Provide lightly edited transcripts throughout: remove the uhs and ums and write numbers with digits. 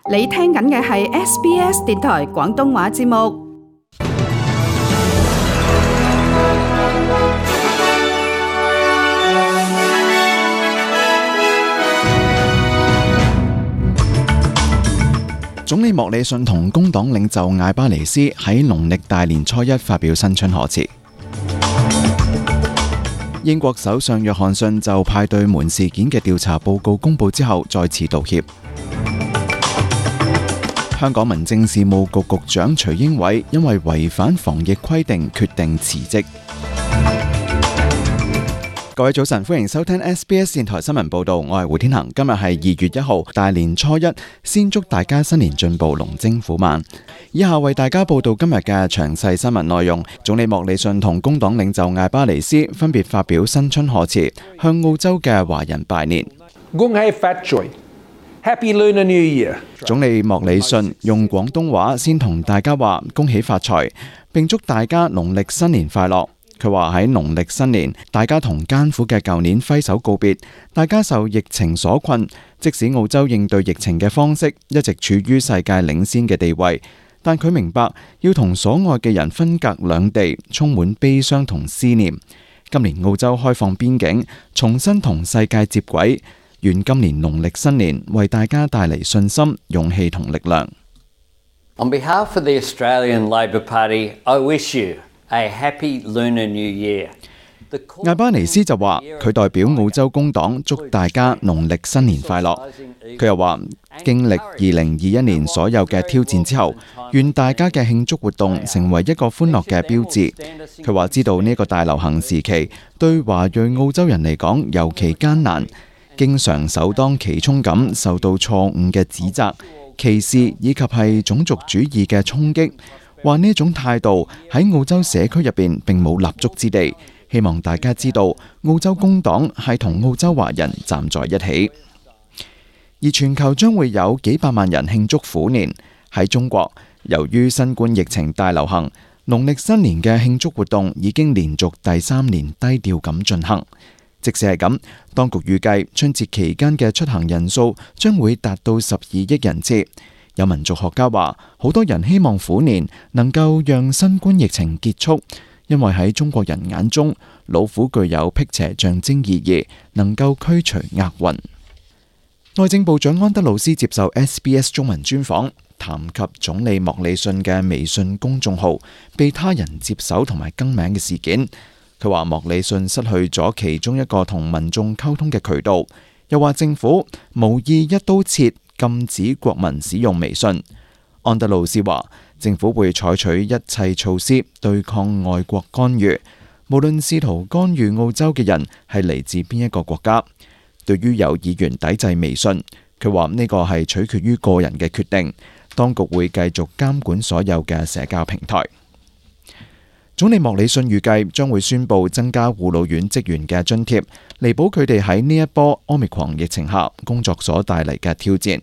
你聽緊嘅係 SBS 電台廣東話節目。總理莫里遜同工黨領袖艾巴尼斯喺農曆大年初一發表新春賀詞。英國首相約翰遜就派對門事件嘅調查報告公佈之後再次道歉。香港民政事務局局長徐英偉因為違反防疫規定決定辭職。各位早晨，歡迎收聽 SBS 電台新聞報道，我係胡天恒。今日係2月1號，大年初一，先祝大家新年進步，龍精虎猛。以下為大家報道今日嘅詳細新聞內容。總理莫里遜同工黨領袖艾巴尼斯分別發表新春賀詞，向澳洲嘅華人拜年。恭喜發財 Happy Lunar New Year！ 總理莫里遜用廣東話先同大家話恭喜發財，並祝大家農曆新年快樂。佢話喺農曆新年，大家同艱苦嘅舊年揮手告別，大家受疫情所困，即使澳洲應對疫情嘅方式一直處於世界領先嘅地位，但佢明白要同所愛嘅人分隔兩地，充滿悲傷同思念。今年澳洲開放邊境，重新同世界接軌，願今年農曆新年為大家帶嚟信心、勇氣同力量。On behalf of the Australian Labor Party, I wish you A happy Lunar New Year。 艾巴尼斯就話，佢代表澳洲工黨祝大家農曆新年快樂。佢又話，經歷2021年所有嘅挑戰之後，願大家嘅慶祝活動成為一個歡樂嘅標誌。佢話知道呢個大流行時期對華裔澳洲人嚟講尤其艱難，經常首當其衝咁受到錯誤嘅指責、歧視以及係種族主義嘅衝擊。話呢種態度喺澳洲社區入邊並冇立足之地，希望大家知道澳洲工黨係同澳洲華人站在一起。而全球將會有幾百萬人慶祝虎年。喺中國，由於新冠疫情大流行，農曆新年嘅慶祝活動已經連續第3年低調咁進行。即使係咁，當局預計春節期間嘅出行人數將會達到12億人次。有民族學家話，好多人希望虎年能夠讓新冠疫情結束，因為喺中國人眼中，老虎具有辟邪象徵意義，能夠驅除厄運。內政部長安德魯斯接受 SBS 中文專訪，談及總理莫里遜嘅微信公眾號被他人接手同埋更名嘅事件。佢話莫里遜失去咗其中一個同民眾溝通嘅渠道，又話政府無意一刀切禁止國民使用微信。安德魯斯話，政府會採取一切措施對抗外國干預，無論試圖干預澳洲嘅人係嚟自邊一個國家。對於有議員抵制微信，佢話呢個係取決於個人嘅決定，當局會繼續監管所有嘅社交平台。總理莫里遜預計將會宣布增加護老院職員嘅津貼，彌補佢哋喺呢一波Omicron疫情下工作所帶嚟嘅挑戰。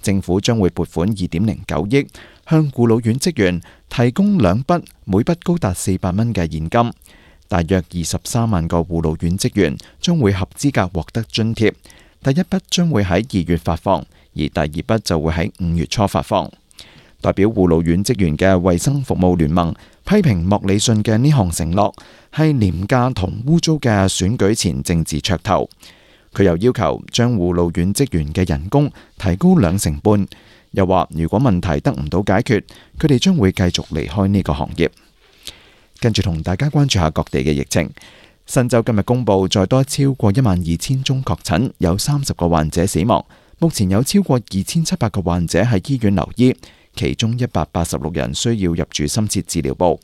政府將會撥款2.09億，向護老院職員提供2筆，每筆高達400蚊嘅現金。大約23萬個護老院職員將會合資格獲得津貼。第一筆將會喺2月發放，而第二筆就會喺5月初發放。代表護老院職員嘅衛生服務聯盟批評莫里遜嘅呢項承諾係廉價同污糟嘅選舉前政治噱頭。佢又要求將護老院職員嘅人工提高2成半，又話如果問題得唔到解決，佢哋將會繼續離開呢個行業。跟住同大家關注下各地嘅疫情。新州今日公布再多超過12000宗確診，有30個患者死亡。目前有超過2700個患者喺醫院留醫，其中186人需要入住深切治療部。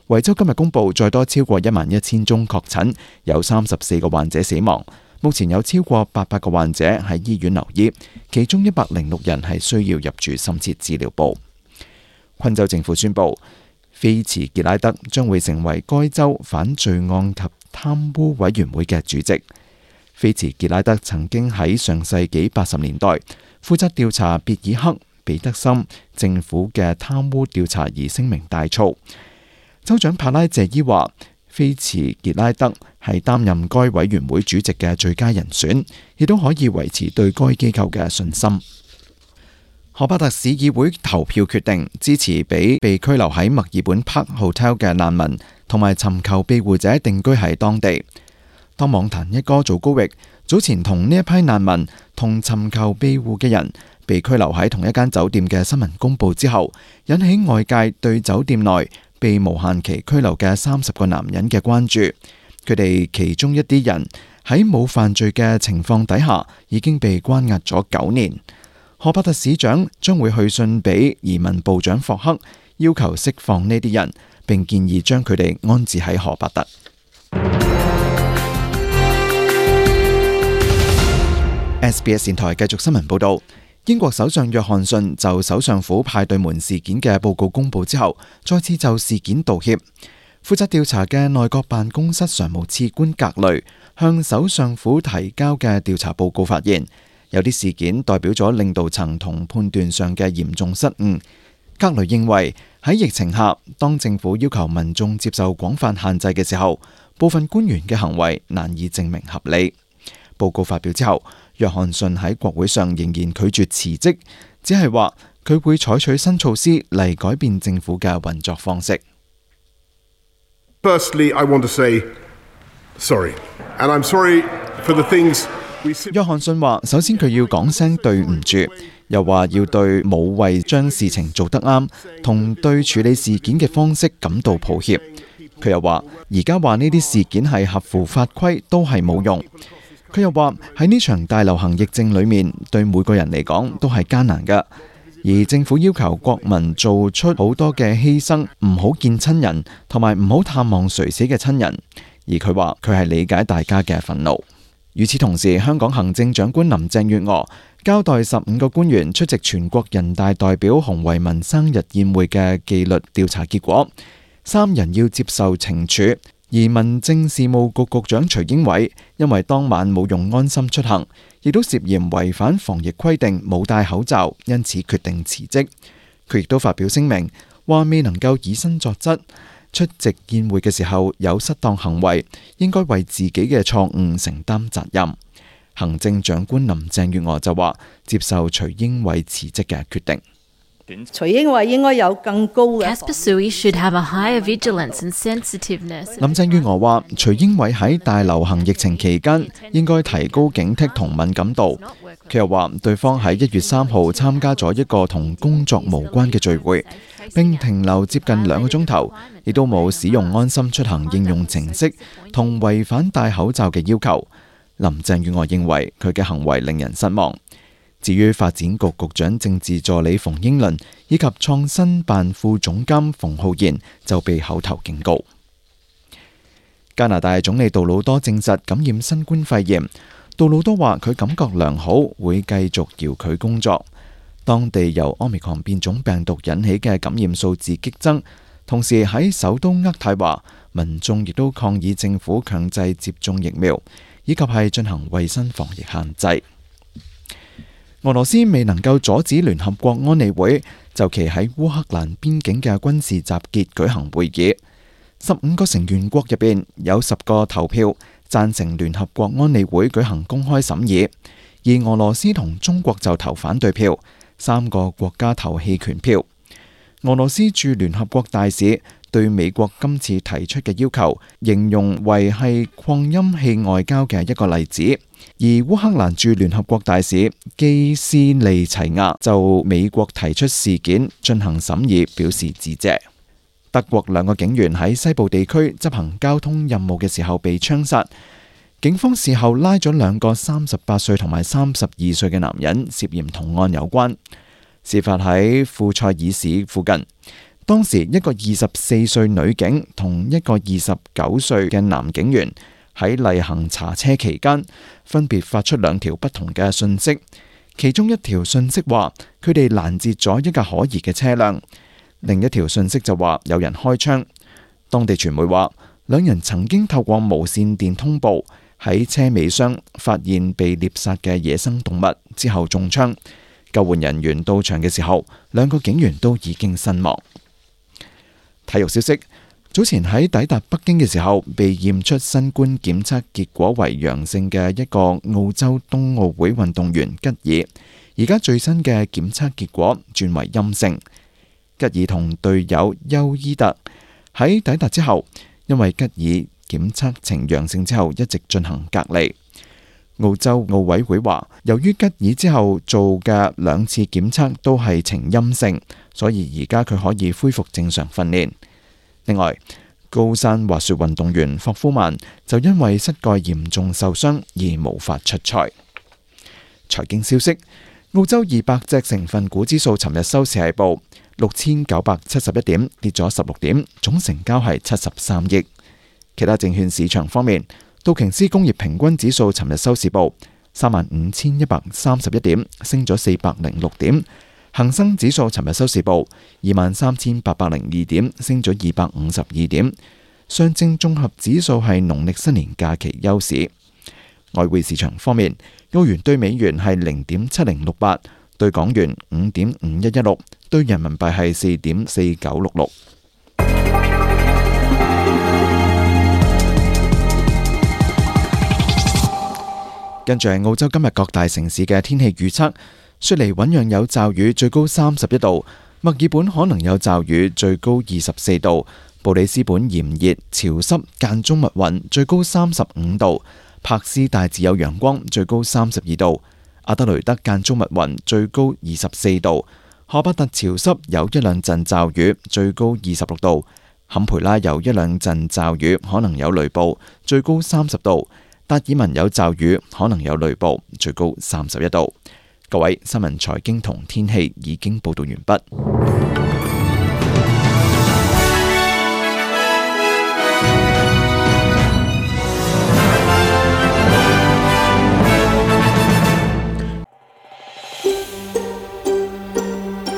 維州今日公布再多超過11000宗確診，有34個患者死亡。目前有超過800個患者喺醫院留醫，其中106人係需要入住深切治療部。昆州政府宣布，菲茨傑拉德將會成為該州反罪案及貪污委員會嘅主席。菲茨傑拉德曾經喺上世紀80年代負責調查別爾克、彼得森政府嘅貪污調查而聲名大噪。州長帕拉謝伊話，菲茨傑拉德係擔任該委員會主席嘅最佳人選，亦都可以維持對該機構嘅信心。荷伯特市議會投票決定支持俾被拘留喺墨爾本 Park Hotel 嘅難民同埋尋求庇護者定居喺當地。當網壇一哥祖高域早前同呢一批難民同尋求庇護嘅人被拘留喺同一間酒店嘅新聞公佈之後，引起外界對酒店內被無限期拘留嘅30個男人嘅關注。佢哋其中一啲人喺冇犯罪嘅情況底下已經被關押咗9年。荷伯特市長將會去信俾移民部長霍克，要求釋放呢啲人，並建議將佢哋安置喺荷伯特。SBS 電台繼續新聞報道。英國首相約翰遜就首相府派對門事件嘅報告公佈之後，再次就事件道歉。負責調查嘅內閣辦公室常務次官格雷向首相府提交嘅調查報告發現，有啲事件代表咗領導層同判斷上嘅嚴重失誤。格雷認為喺疫情下，當政府要求民眾接受廣泛限制嘅時候，部分官員嘅行為難以證明合理。報告發表之後，約翰遜喺國會上仍然拒絕辭職，只係話佢會採取新措施嚟改變政府嘅運作方式。Firstly, I want to say sorry, and I'm sorry for the things we see. 約翰遜話：首先佢要講聲對唔住，又話要對冇為將事情做得啱，同對處理事件嘅方式感到抱歉。佢又話：而家話呢啲事件係合乎法規都係冇用。佢又話喺呢場大流行疫症裏面，對每個人嚟講都係艱難㗎。而政府要求國民做出好多嘅犧牲，唔好見親人，同埋唔好探望垂死嘅親人。而佢話佢係理解大家嘅憤怒。與此同時，香港行政長官林鄭月娥交代15個官員出席全國人大代表洪為民生日宴會嘅紀律調查結果，3人要接受懲處。而民政事務局局長徐英偉因為當晚冇用安心出行，亦都涉嫌違反防疫規定冇戴口罩，因此決定辭職。佢亦都發表聲明，話未能夠以身作則，出席宴會嘅時候有失當行為，應該為自己嘅錯誤承擔責任。行政長官林鄭月娥就話接受徐英偉辭職嘅決定。徐英偉應該有更高嘅。林鄭月娥話：徐英偉喺大流行疫情期間應該提高警惕同敏感度。佢又話，對方喺1月3號參加咗一個同工作無關嘅聚會，並停留接近2個鐘頭，亦都冇使用安心出行應用程式，同違反戴口罩嘅要求。林鄭月娥認為佢嘅行為令人失望。至於發展局局長政治助理馮英倫以及創新辦副總監馮浩然就被口頭警告。加拿大總理杜魯多證實感染新冠肺炎。杜魯多話佢感覺良好，會繼續遙距工作。當地由 Omicron 變種病毒引起嘅感染數字激增，同時喺首都渥太華，民眾亦都抗議政府強制接種疫苗，以及係進行衛生防疫限制。俄羅斯未能夠阻止聯合國安理會就其喺烏克蘭邊境嘅軍事集結舉行會議。15個成員國入邊有10個投票贊成聯合國安理會舉行公開審議，而俄羅斯同中國就投反對票，3個國家投棄權票。俄羅斯駐聯合國大使對美國今次提出嘅要求形容為係擴音器外交嘅一個例子，而烏克蘭駐聯合國大使基斯利齊亞就美國提出事件進行審議表示致謝。德國2個警員喺西部地區執行交通任務嘅時候被槍殺，警方事後拉咗2個38歲同埋32歲嘅男人，涉嫌同案有關。事發喺庫塞爾市附近，當時一個24歲女警同一個29歲嘅男警員喺例行查車期間，分別發出2條不同嘅訊息。其中一條訊息話佢哋攔截咗一架可疑嘅車輛，另一條訊息就話有人開槍。當地傳媒話2人曾經透過無線電通報喺車尾箱發現被獵殺嘅野生動物，之後中槍。救援人員到場嘅時候，2個警員都已經身亡。體育消息，早前喺抵達北京嘅時候被驗出新冠檢測結果為陽性嘅一個澳洲冬奧會運動員吉爾，而家最新嘅檢測結果轉為陰性。吉爾同隊友休伊特喺抵達之後，因為吉爾檢測呈陽性之後一直進行隔離。澳洲奧委會話，由於吉爾之後做嘅2次檢測都係呈陰性，所以而家佢可以恢復正常訓練。另外，高山滑雪運動員霍夫曼就因為膝蓋嚴重受傷而無法出賽。財經消息，澳洲200隻成分股指數尋日收市係報6971點，跌咗16點，總成交係73億。其他證券市場方面，道瓊斯工業平均指數尋日收市報35,131點，升咗406點。恒生指數尋日收市報23,802點，升咗252點。上證綜合指數係農曆新年假期休市。外匯市場方面，澳元對美元係0.7068，對港元5.5116，對人民幣係4.4966。跟住係澳洲今日各大城市嘅天氣預測。雪梨醞釀有驟雨，最高31度；墨爾本可能有驟雨，最高24度；布里斯本炎熱潮濕間中密雲，最高35度；柏斯大致有陽光，最高32度；阿德雷德間中密雲，最高24度；荷巴特潮濕有一兩陣驟雨，最高26度；坎培拉有一兩陣驟雨，可能有雷暴，最高30度；達爾文有驟雨，可能有雷暴，最高31度。各位，新聞財經同天氣已經報道完畢。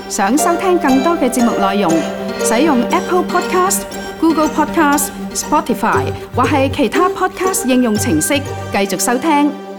想收聽更多嘅節目內容，使用 Apple Podcast、Google Podcast、Spotify 或係其他 Podcast 應用程式繼續收聽。